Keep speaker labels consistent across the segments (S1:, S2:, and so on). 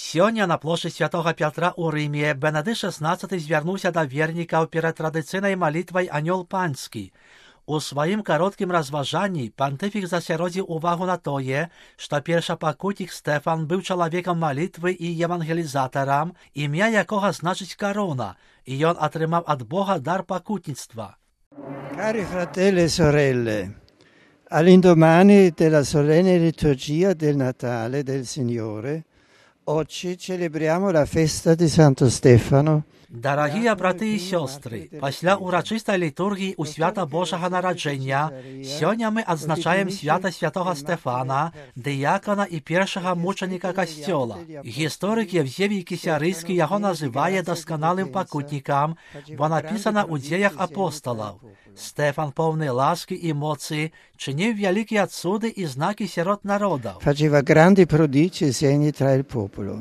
S1: Сёння на плошчы святога Пятра ў Рыме Бенедыкт XVI звярнуўся да вернікаў перад традыцыйнай малітвай «Анёл панскі». У сваім кароткім разважанні пантыфік засяродзіў увагу на тое, што першапакутнік Стэфан быў чалавекам малітвы і евангелізатарам, імя якога значыць карона, і ён атрымаў ад Бога дар пакутніцтва.
S2: Cari fratelli e sorelle, all'indomani della solenne liturgia del Natale del Signore, oggi celebriamo la festa di Santo Stefano.
S1: Дарагія браты і сёстры, пасля урачыстай літургіі ў свята Божага нараджэння сёння мы адзначаем свята святога Стэфана, дыякана і першага мучаніка касцёла. Гісторык Евзевій Кісярыйскі яго называе дасканалым пакутнікам, бо напісана ў дзеях апосталаў. Стэфан поўны ласкі і моцы чыніў вялікія цуды і знакі сярод народаў.
S2: Faceva grandi prodigi e segni tra il popolo.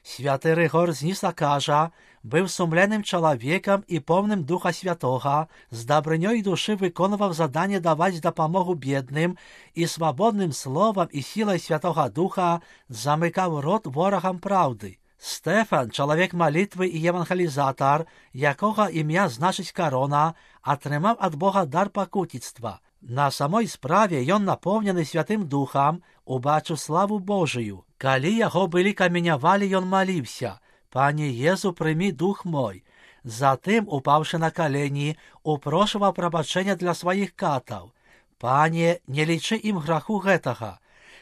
S1: Святы Рыгор з Ніса кажа, быў сумленным чалавекам і поўным Духа Святога, з дабрынёй душы выконваў заданне даваць дапамогу бедным і свабодным словам і сілай Святога Духа замыкаў рот ворагам праўды. Стэфан, чалавек малітвы і евангелізатар, якога імя значыць карона, атрымаў ад Бога дар пакутніцтва. На самой справе ён напоўнены Святым Духам, убачыў славу Божыю. Калі яго былі каменявалі, ён маліўся: «Пане Езу, прымі дух мой». Затым, упаўшы на калені, упрошваў прабачэння для сваіх катаў. «Пане, не лічы ім граху гэтага».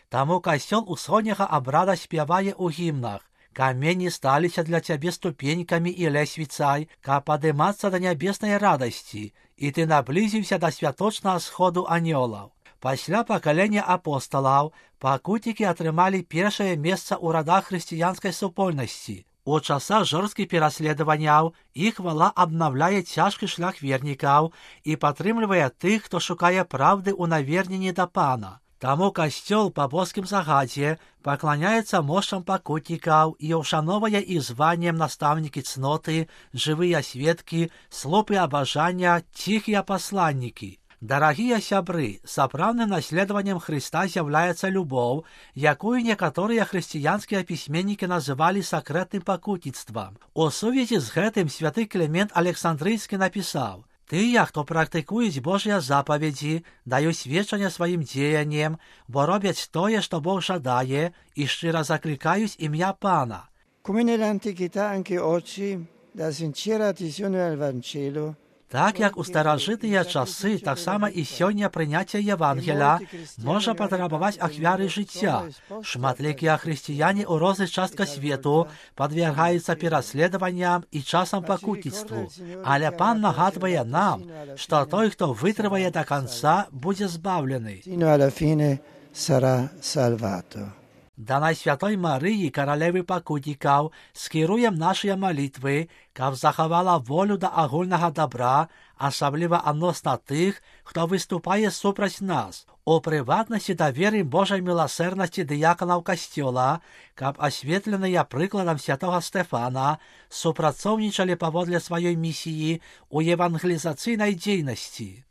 S1: Таму касцёл усходняга абрада спявае ў гімнах: «Камені сталіся для цябе ступенькамі і лесвіцай, каб падымацца да нябеснай радасці, і ты наблізіўся да святочнага сходу анёлаў». Пасля пакалення апосталаў пакутнікі атрымалі першае месца ў радах хрысціянскай супольнасці. У часах жорсткіх пераследаванняў іх хвала абнаўляе цяжкі шлях вернікаў і падтрымлівае тых, хто шукае праўды ў наверненні да Пана. Таму касцёл па боскім загадзе пакланяецца мошчам пакутнікаў і ўшановае іх званнем настаўнікі цноты, жывыя сведкі, слупы абажання, ціхія пасланнікі. Дарагія сябры, сапраўдным наследаваннем Хрыста з'яўляецца любоў, якую некаторыя хрысціянскія пісьменнікі называлі сакрэтным пакутніцтвам. У сувязі з гэтым святы Клімент Александрыйскі напісаў: «Тыя, хто практыкуюць Божыя запаведзі, даюць сведчанне сваім дзеяннем, бо робяць тое, што Бог жадае, і шчыра заклікаюць імя Пана».
S2: Come nell'antichità anche oggi, la sincera adesione al Vangelo.
S1: Так як у старажытныя часы, таксама і сёння прыняцце Евангеля можа патрабаваць ахвяры жыцця. Шматлікія хрысціяне ў розных частках свету падвяргаюцца пераследаванням і часам пакутніцтву. Але Пан нагадвае нам, што той, хто вытрывае да канца, будзе збаўлены. Да Найсвятой Марыі, каралевы пакутнікаў, скіруем нашыя малітвы, каб захавала волю да агульнага дабра, асабліва адносна тых, хто выступае супраць нас. У прыватнасці даверым Божай міласэрнасці дыяканаў касцёла, каб асветленыя прыкладам святога Стэфана супрацоўнічалі паводле сваёй місіі ў евангелізацыйнай дзейнасці.